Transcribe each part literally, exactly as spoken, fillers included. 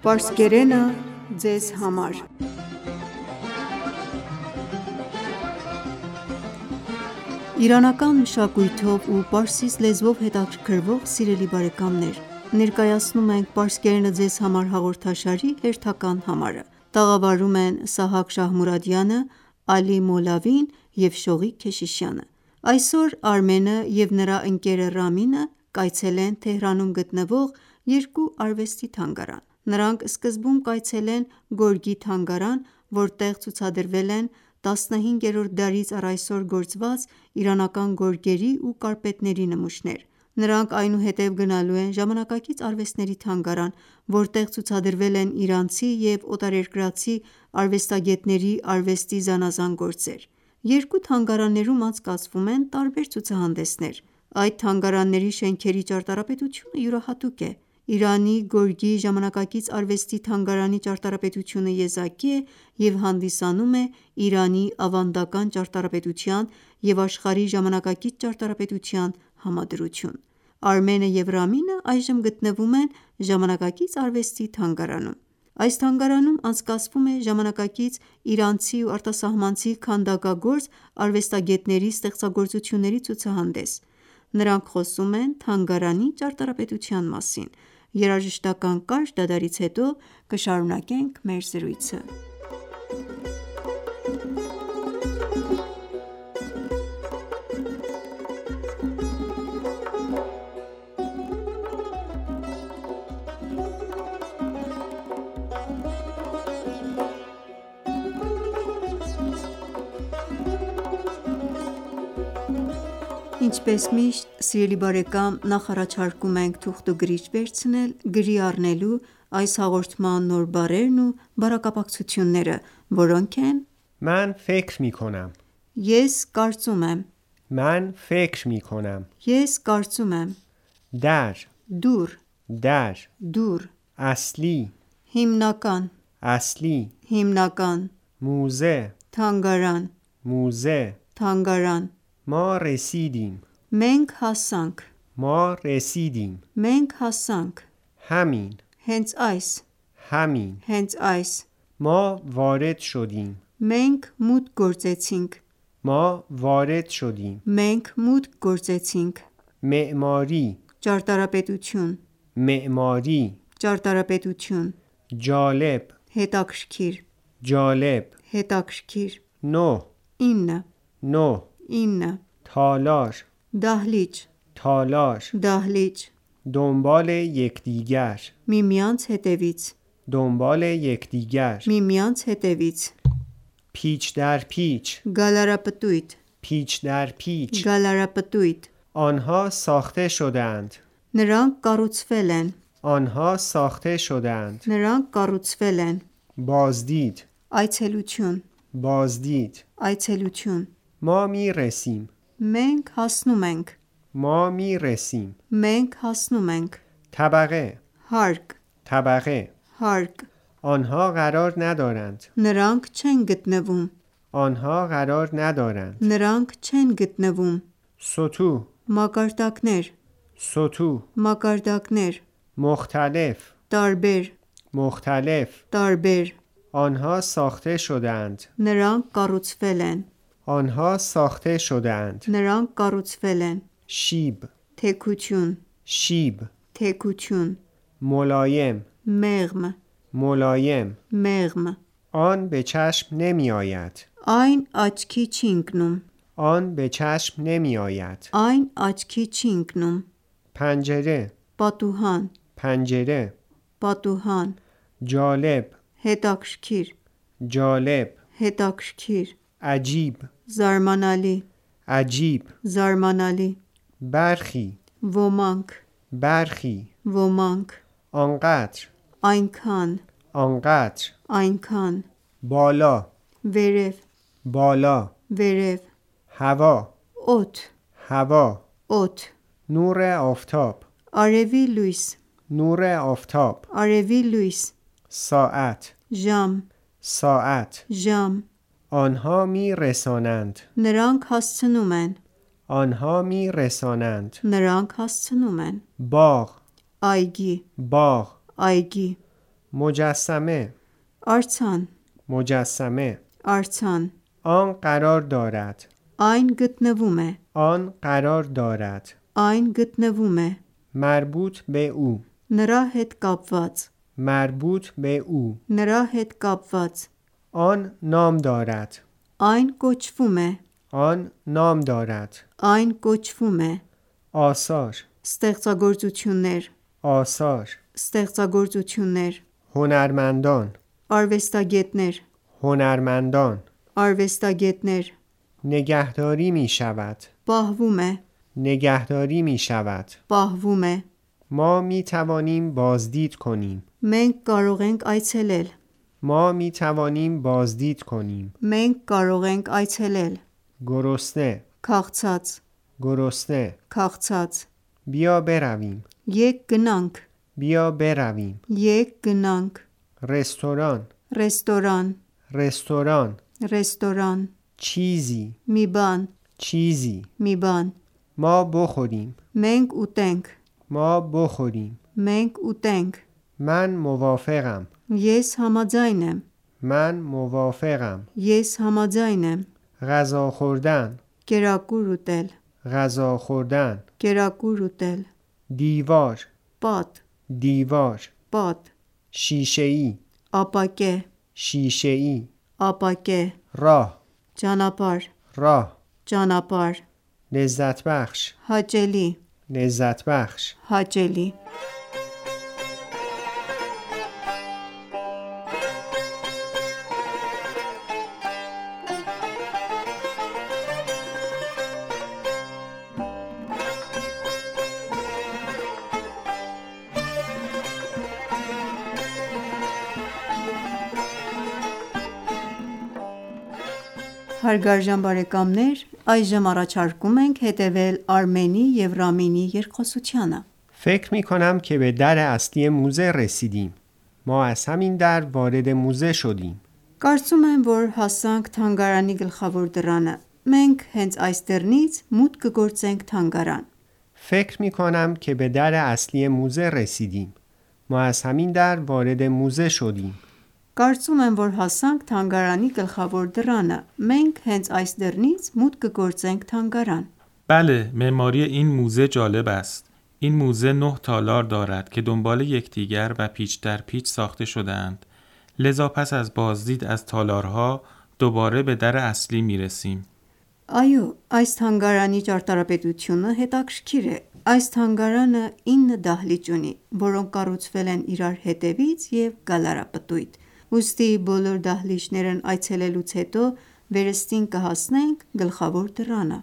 Պարսկերենը ձեզ համար։ Իրանական մշակույթով ու պարսից լեզվով հետաքրքրվող սիրելի բարեկամներ, ներկայացնում ենք «Պարսկերենը ձեզ համար» հաղորդաշարի հերթական համարը։ Տաղավարում են Սահակ Շահմուրադյանը, Ալի Մոլավին և Շողիկ Քեշիշյանը։ Այսօր Արմենը և նրա ընկերը Ռամինը կայցելեն Թեհրանում գտնվող երկու արվեստի թանգարան։ Նրանք սկզբում կայցելեն Գորգի թանգարան, որտեղ ցուցադրվել են տասնհինգերորդ դարից առ այսօր գործված իրանական գորգերի ու կարպետների նմուշներ։ Նրանք այնուհետև գնալու են Ժամանակակից արվեստների թանգարան, որտեղ ցուցադրվել են իրանցի և օտարերկրացի արվեստագետների արվեստի զանազան գործեր։ Երկու թանգարաններում անցկացվում են տարբեր ցուցահանդեսներ։ Այդ թանգարանների շենքերի ճարտարապետությունը յուրահատուկ է։ Իրանի գորգի ժամանակակից արվեստի թանգարանի ճարտարապետությունը եզակի է և հանդիսանում է Իրանի ավանդական ճարտարապետության և աշխարհի ժամանակակից ճարտարապետության համադրություն։ Արմենը և Ռամինը այժմ գտնվում են Ժամանակակից արվեստի թանգարանում։ Այս թանգարանում անցկացվում է ժամանակակից իրանցի ու արտասահմանցի քանդակագործ արվեստագետների ստեղծագործությունների ցուցահանդես։ Նրանք խոսում են թանգարանի ճարտարապետության մասին։ Երաժշտական կարճ դադարից հետո կշարունակենք մեր զրույցը։ Ինչպես միշտ, սիրելի բարեկամ, նախ առաջարկում ենք թուղթ ու գրիչ վերցնել գրի առնելու այս հաղորդման նոր բառերն ու բառակապակցությունները, որոնք են من فکر می کنم Ես կարծում եմ من فکر می کنم Ես կարծում եմ در Դուր در Դուր اصلی Հիմնական اصلی Հիմնական موزه Թանգարան موزه Թանգարան ما رسیدیم Մենք հասանք ما رسیدیم Մենք հասանք همین Հենց այս همین Հենց այս ما وارد شدیم Մենք մուտք գործեցինք ما وارد شدیم Մենք մուտք գործեցինք معماری Ճարտարապետություն معماری Ճարտարապետություն جالب Հետաքրքիր جالب Հետաքրքիր نو ինը نو ինը تالار Դահլիճ تالار Դահլիճ دنبال یکدیگر Միմյանց հետևից دنبال یکدیگر Միմյանց հետևից پیچ در پیچ Գալարապտույտ پیچ در پیچ Գալարապտույտ آنها ساخته شدند Նրանք կառուցվել են آنها ساخته شدند Նրանք կառուցվել են بازدید Այցելություն بازدید Այցելություն ما می رسیم Մենք հասնում ենք ما می رسیم Մենք հասնում ենք طبقه Հարկ طبقه Հարկ آنها قرار ندارند Նրանք չեն գտնվում آنها قرار ندارند Նրանք չեն գտնվում سطوح Մակարդակներ سطوح Մակարդակներ مختلف Տարբեր مختلف Տարբեր آنها ساخته شدند Նրանք կառուցվել են آنها ساخته شدند Նրանք կառուցվել են شیب Թեքություն شیب Թեքություն ملایم Մեղմ ملایم Մեղմ آن به چشم نمی آید Այն աչքի չի ընկնում آن به چشم نمی آید Այն աչքի չի ընկնում پنجره Պատուհան پنجره Պատուհան جالب Հետաքրքիր جالب Հետաքրքիր عجیب Զարմանալի عجیب Զարմանալի برخی Ոմանք برخی Ոմանք آنقدر Այնքան آنقدر Այնքան بالا Վերև بالا Վերև هوا Օդ هوا Օդ نور آفتاب Արևի լույս نور آفتاب Արևի լույս ساعت Ժամ ساعت Ժամ آنها می رسانند Նրանք հասցնում են آنها می رسانند Նրանք հասցնում են باغ Այգի باغ Այգի مجسمه Արձան, مجسمه արձան آن قرار دارد Այն գտնվում է, آن قرار دارد այն գտնվում է مربوط به او Նրա հետ կապված, مربوط به او նրա հետ կապված آن نام دارد Այն կոչվում է, آن نام دارد այն կոչվում է آثار Ստեղծագործություններ, آثار ստեղծագործություններ هنرمندان Արվեստագետներ, هنرمندان արվեստագետներ نگهداری می شود Պահվում է, نگهداری می شود պահվում է ما می توانیم بازدید کنیم Մենք կարող ենք այցելել, ما می توانیم بازدید کنیم մենք կարող ենք այցելել گرسنه Քաղցած, گرسنه քաղցած بیا برویم Եկ գնանք, بیا برویم եկ գնանք رستوران Ռեստորան, رستوران ռեստորան چیزی Մի բան, چیزی մի բան ما بخوریم Մենք ուտենք, ما بخوریم մենք ուտենք من موافقم Ես համաձայն եմ, من موافقم ես համաձայն եմ غذا خوردن Կերակուր ուտել, غذا خوردن կերակուր ուտել دیوار Պատ, دیوار պատ شیشه‌ای Ապակե, شیشه‌ای ապակե راه Ճանապարհ, راه ճանապարհ لذت بخش Հաճելի, لذت بخش հաճելի Հարգարժան բարեկամներ, այժմ առաջարկում ենք հետևել Արմենի և Ռամինի երկխոսությանը։ فکر می کنم که به در اصلی موزه رسیدیم. ما از همین در وارد موزه شدیم. Կարծում եմ, որ հասանք թանգարանի գլխավոր դռանը։ Մենք հենց այս դռնից մուտք կգործենք թանգարան։ فکر می کنم که به در اصلی موزه رسیدیم. ما از همین در وارد موزه شدیم. Կարծում եմ, որ հասանք թանգարանի գլխավոր դռանը։ Մենք հենց այս դռնից մուտք կգործենք թանգարան։ بله، معماری این موزه جالب است. این موزه نه تالار دارد که دنبال یکدیگر و پیچ در پیچ ساخته شده‌اند. لذا پس از بازدید از تالارها دوباره به در اصلی میرسیم. Այո, այս թանգարանի ճարտարապետությունը հետաքրքիր է։ Այս թանգարանը ինը դահլիճ ունի, որոնք կառուցվել են իրար հետևից և գալարապտույտ։ Ուստի բոլոր դահլիճներն այցելելուց հետո վերստին կհասնենք գլխավոր դռանը։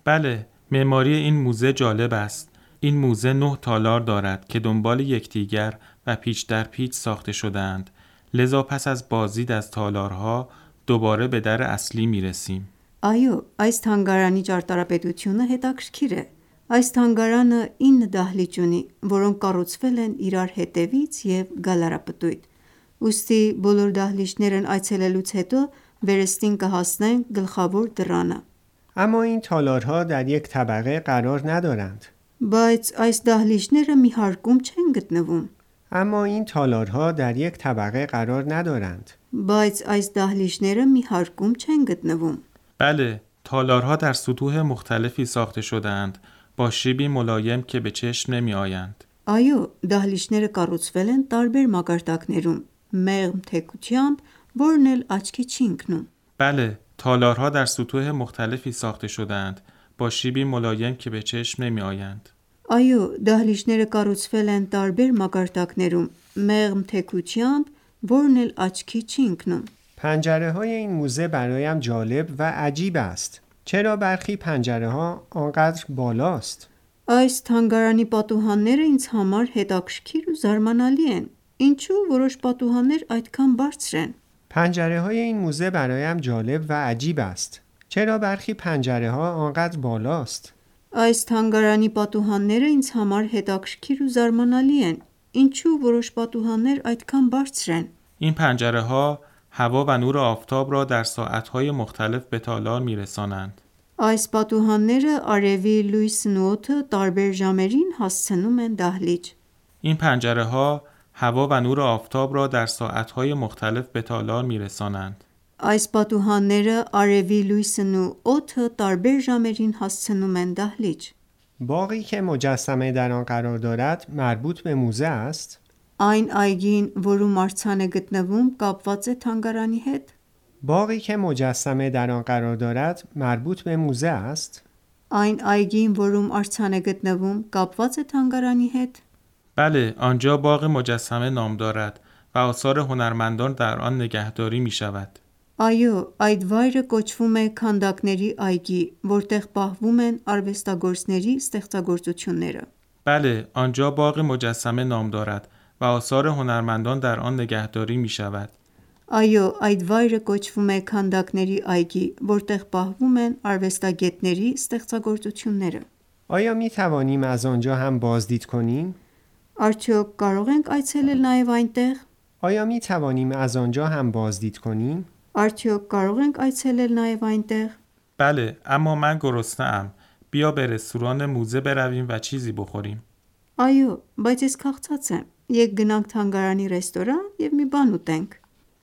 بله، معماری این موزه جالب است. این موزه نه تالار دارد که دنبال یکدیگر و پیچ در پیچ ساخته شده‌اند. لذا پس از بازدید از تالارها دوباره به در اصلی میرسیم. Այո, այս թանգարանի ճարտարապետությունը հետաքրքիր է։ Այս թանգարանը ինը դահլիճ ունի, որոնք կառուցվել են իրար հետևից և գալարապտույտ։ Ուստի բոլոր դահլիճներն այցելելուց հետո վերստին կհասնենք գլխավոր դռանը։ اما این تالارها در یک طبقه قرار ندارند. Բայց այս դահլիճները մի հարկում չեն գտնվում։ اما این تالارها در یک طبقه قرار ندارند. Բայց այս դահլիճները մի հարկում չեն գտնվում։ بله، تالارها در سطوح مختلفی ساخته شده‌اند با شیبی ملایم که به چشم نمی آیند. Այո, դահլիճները կառուցվել են տարբեր մակարդակներում, մեղմ թեքությամբ, որն էլ աչքի չի ընկնում։ بله، تالارها در سطوح مختلفی ساخته شده‌اند با شیبی ملایم که به چشم نمی آیند. Այո, դահլիճները կառուցվել են տարբեր մակարդակներում, մեղմ թեքությամբ, որն էլ աչքի չի ընկնում։ پنجره های این موزه برایم جالب و عجیب است. چرا برخی پنجره ها آنقدر بالاست؟ Այս թանգարանի պատուհանները ինձ համար հետաքրքիր ու զարմանալի են։ Ինչու որոշ պատուհաններ այդքան բարձր են։ پنجره های این موزه برایم جالب و عجیب است. چرا برخی پنجره ها آنقدر بالاست؟ Այս թանգարանի պատուհանները ինձ համար հետաքրքիր ու զարմանալի են։ Ինչու որոշ պատուհաններ այդքան բարձր են։ این پنجره ها هوا و نور آفتاب را در ساعتهای مختلف به تالار میرسانند. Այս պատուհանները արևի լույսն ու օդը տարբեր ժամերին հասցնում են դահլիճ։ این پنجره ها هوا و نور آفتاب را در ساعتهای مختلف به تالار می‌رسانند. Այս պատուհանները արևի լույսն ու օդը տարբեր ժամերին հասցնում են դահլիճ. باغی که مجسمه در آن قرار دارد مربوط به موزه است؟ Այն այգին, որում արձան է գտնվում, կապված է թանգարանի հետ? باغی که مجسمه در آن قرار دارد مربوط به موزه است؟ Այն այգին, որում արձան է գտնվում, կապված է թանգարանի հետ? بله، آنجا باغ مجسمه نام دارد و آثار هنرمندان در آن نگهداری می شود. Այո, այդ վայրը կոչվում է քանդակների այգի, որտեղ պահվում են արվեստագործների ստեղծագործությունները. بله، آنجا باغ مجسمه نام دارد و آثار هنرمندان در آن نگهداری می شود. Այո, այդ վայրը կոչվում է քանդակների այգի, որտեղ պահվում են արվեստագետների ստեղծագործությունները. آیا می توانیم از آنجا هم بازدید کنیم؟ Արդյոք կարող ենք այցելել նաև այնտեղ? آیا می توانیم از آنجا هم بازدید کنیم؟ Արդյոք կարող ենք այցելել նաև այնտեղ? بله، اما من گرسنه‌ام. بیا به رستوران موزه برویم و چیزی بخوریم. Այո, բայց ես քաղցած եմ. Եկ գնանք թանգարանի ռեստորան եւ մի բան ուտենք.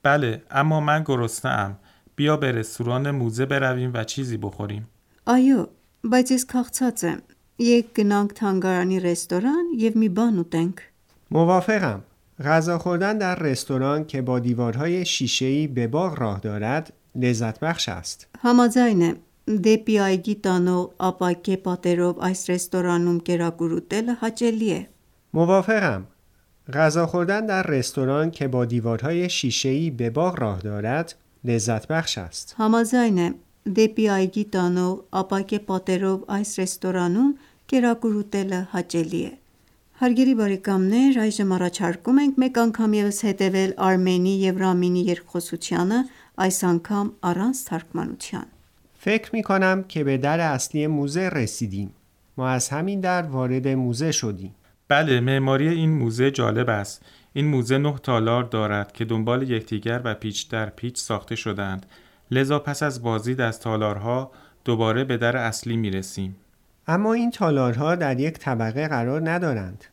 بله، اما من گرسنه‌ام. بیا به رستوران موزه برویم و چیزی بخوریم. Այո, բայց ես քաղցած եմ. Եկ գնանք թանգարանի ռեստորան եւ մի բան ուտենք. موافقم. غذا خوردن در رستوران که با دیوارهای شیشه‌ای به باغ راه دارد لذت بخش است. Համաձայն եմ. Դեպի այգի տանող ապակե պատերով այս ռեստորանում կերակուր ուտելը հաճելի է. موافقم. غذا خوردن در رستوران که با دیوارهای شیشه‌ای به باغ راه دارد لذت بخش است. Համաձայն եմ. Դեպի այգի տանող ապակե պատերով այս ռեստորանում կերակուր ուտելը հաճելի է. Հարգելի բարեկամներ, այժմ առաջարկում ենք մեկ անգամ ևս հետևել Արմենի եւ Ռամինի երկխոսությանը, այս անգամ առանց թարգմանության. فکر می کنم که به در اصلی موزه رسیدیم. ما از همین در وارد موزه شدیم. بله، معماری این موزه جالب است. این موزه نه تالار دارد که دنبال یکدیگر و پیچ در پیچ ساخته شدند. لذا پس از بازدید از تالارها دوباره به در اصلی می رسیم. اما این تالارها در یک طبقه قرار ندارند.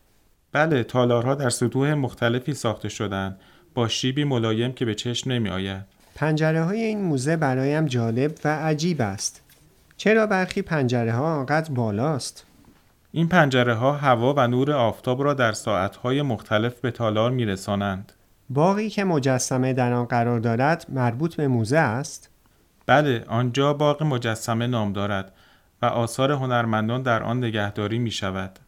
بله، تالارها در سطوح مختلفی ساخته شدند با شیبی ملایم که به چشم نمی آید. پنجره های این موزه برایم جالب و عجیب است. چرا برخی پنجره ها آنقدر بالاست؟ این پنجره ها هوا و نور آفتاب را در ساعتهای مختلف به تالار می رسانند. باغی که مجسمه در آن قرار دارد مربوط به موزه است؟ بله، آنجا باغ مجسمه نام دارد و آثار هنرمندان در آن نگهداری می شود.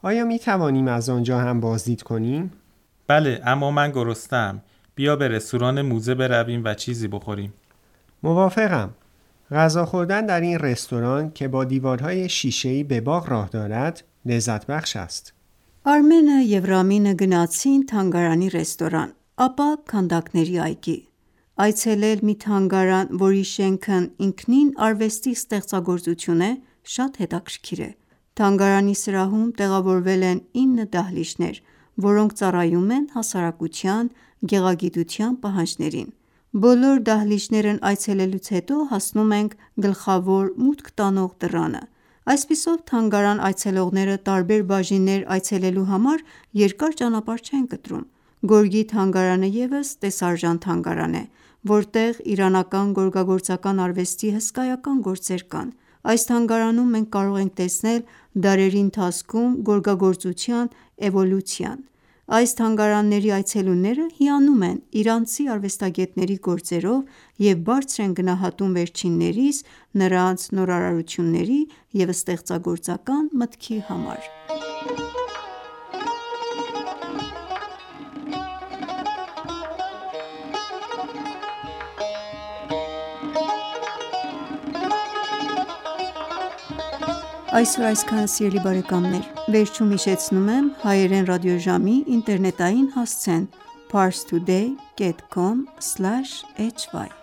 آیا می توانیم از آنجا هم بازدید کنیم؟ بله، اما من گرسنه‌ام. بیا به رستوران موزه برویم و چیزی بخوریم. موافقم. غذا خوردن در این رستوران که با دیوارهای شیشه‌ای به باغ راه دارد لذت بخش است. Արմենը եւ Ռամինը գնացին թանգարանի ռեստորան, ապա քանդակների այգի. Այցելել մի թանգարան, որի շենքն ինքնին արվեստի ստեղծագործություն է, շատ հետաքրքիր է. Թանգարանի սրահում տեղավորվել են ինը դահլիճներ, որոնք ծառայում են հասարակության գեղագիտության պահանջներին։ Բոլոր դահլիճներն այցելելուց հետո հասնում ենք գլխավոր մուտք տանող դռանը։ Այսպիսով թանգարան այցելողները տարբեր բաժիններ այցելելու համար երկար ճանապարհ չեն կտրում։ Գորգի թանգարանը ևս տեսարժան թանգարան է, որտեղ իրանական գորգագործական արվեստի հսկայական գործեր կան։ Այս թանգարանում մենք կարող ենք տեսնել դարերի ընթացքում գորգագործության էվոլյուցիան։ Այս թանգարանների այցելուները հիանում են իրանցի արվեստագետների գործերով և բարձր են գնահատում վերջիններիս նրանց նորարարությունների և ստեղծագործական մտքի համար։ Այսօր այսքանը, սիրելի բարեկամներ, վերջում հիշեցնում եմ հայերեն ռադիոժամի ինտերնետային հասցեն parstoday dot com slash h y